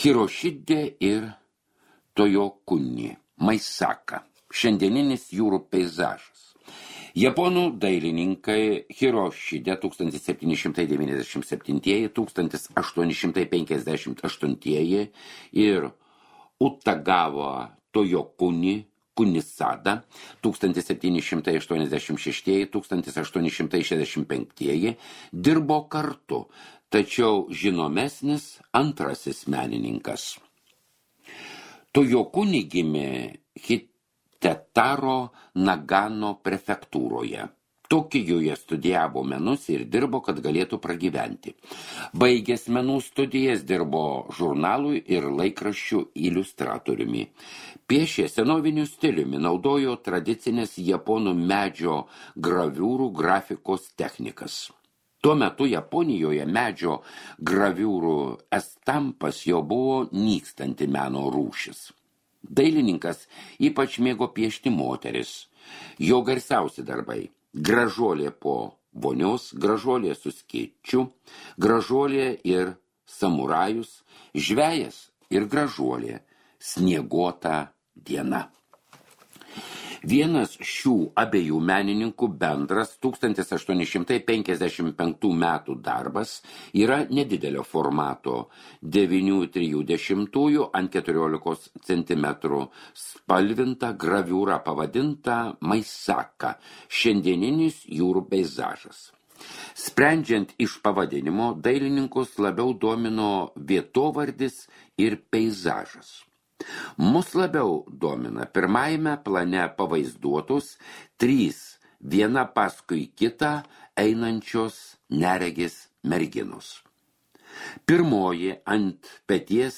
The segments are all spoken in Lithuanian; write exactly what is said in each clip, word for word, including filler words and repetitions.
Hiroshide ir Toyokuni, Maisaka, šiandieninis jūrų peizažas. Japonų dailininkai Hiroshide tūkstantis septyni šimtai devyniasdešimt septinti - tūkstantis aštuoni šimtai penkiasdešimt aštunti ir Utagawa Toyokuni Kunisada tūkstantis septyni šimtai aštuoniasdešimt šešti - tūkstantis aštuoni šimtai šešiasdešimt penkti dirbo kartu, tačiau žinomesnis antrasis menininkas. Toyokuni gimė Hitetaro Nagano prefektūroje. Tokijoje studijavo menus ir dirbo, kad galėtų pragyventi. Baigęs menų studijas dirbo žurnalui ir laikraščių iliustratoriumi. Piešė senoviniu stiliumi, naudojo tradicinės japonų medžio graviūrų grafikos technikas. Tuo metu Japonijoje medžio graviūrų estampas jau buvo nykstanti meno rūšis. Dailininkas ypač mėgo piešti moteris. Jo garsiausi darbai – gražuolė po vonios, gražuolė su skėčiu, gražuolė ir samurajus, žvejas ir gražuolė, snieguota diena. Vienas šių abiejų menininkų bendras tūkstantis aštuoni šimtai penkiasdešimt penktų metų darbas yra nedidelio formato devyni trisdešimtųjų ant keturiolikos centimetrų spalvinta graviūra pavadinta Maisaka, šiandieninis jūrų peizažas. Sprendžiant iš pavadinimo, dailininkus labiau domino vietovardis ir peizažas. Mus labiau domina pirmajame plane pavaizduotus trys viena paskui kitą einančios neregės merginos. Pirmoji ant peties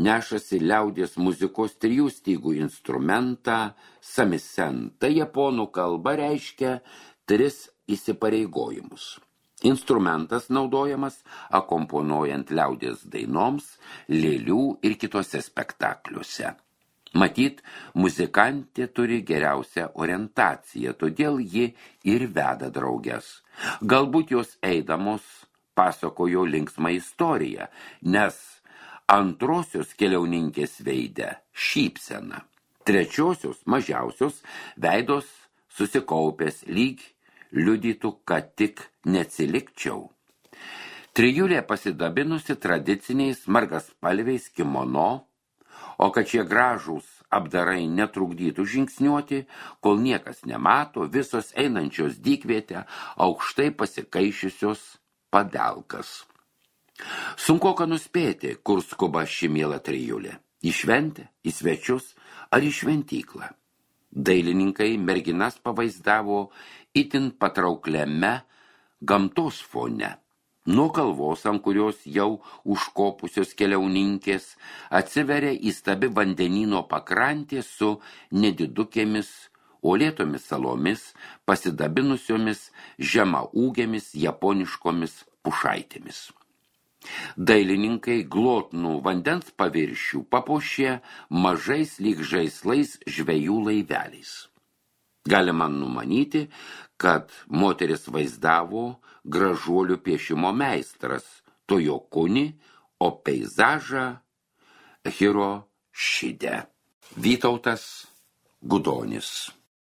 nešasi liaudies muzikos trijų stygų instrumentą samisen. Tai japonų kalba reiškia tris įsipareigojimus. Instrumentas naudojamas akomponuojant liaudies dainoms, lėlių ir kitose spektakliuose. Matyt, muzikantė turi geriausią orientaciją, todėl ji ir veda drauges. Galbūt jos eidamos pasakojo linksmą istoriją, nes antrosios keliauninkės veide šypsena, trečiosios mažiausios veidos susikaupęs lyg liudytų, kad tik neatsilikčiau. Trijulė pasidabinusi tradiciniais margaspalviais kimono, o kad šie gražūs apdarai netrukdytų žingsniuoti, kol niekas nemato, visos einančios dykvietę aukštai pasikaišiusios padelkas. Sunkoka nuspėti, kur skuba ši miela trijulė. Į šventę, į svečius ar į šventyklą. Dailininkai merginas pavaizdavo itin patraukliame gamtos fone. Nuo kalvos, ant kurios jau užkopusios keliauninkės, atsiveria įstabi vandenyno pakrantė su nedidukėmis, uolėtomis salomis, pasidabinusiomis žemaūgėmis japoniškomis pušaitėmis. Dailininkai glotnų vandens paviršių papuošė mažais lyg žaislais žvejų laiveliais. Galima numanyti, kad moteris vaizdavo gražuolių piešimo meistras Toyokuni, o peizažą Hiroshide. Vytautas Gudonis.